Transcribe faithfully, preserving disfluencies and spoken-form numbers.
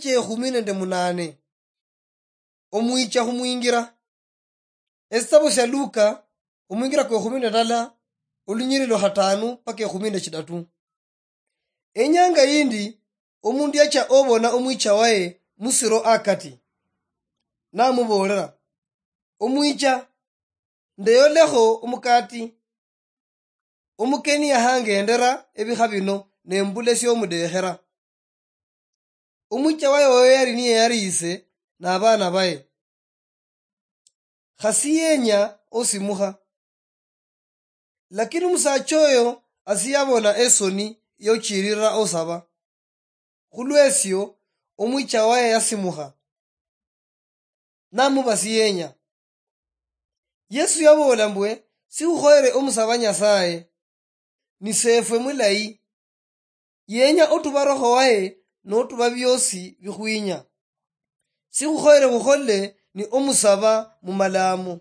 Ekhumi nende munane. Omwicha khumwingira. Esitabo sia Luka, omwingira kwe khumi nende ndala, olunyiriri lwa khatanu paka ekhumi nende chidatu. Enyanga yindi, omundu yacha obona omwicha waye musiro akati, namubolera, "Omwicha, ndeyolekho omukati. Omukeni yahangendera ebikha bino, nembula esiomudekhera." Omwicha waye oyo yali niye yariise nabana baye. Khasi yenya osimukha. Lakini omusacha oyo asiyabona esoni yochirira osaba. Khulwesio, omwicha waye yasimukha, namuba siyenya. Yesu yabola mbwe, "Sikhukhoyere omusaba Nyasaye, ni sefwe mulayi. Yenya otuba Roho waye notuba biosi bikhwinya. Sikhukhoyere khukhole ni omusaba mumalamo."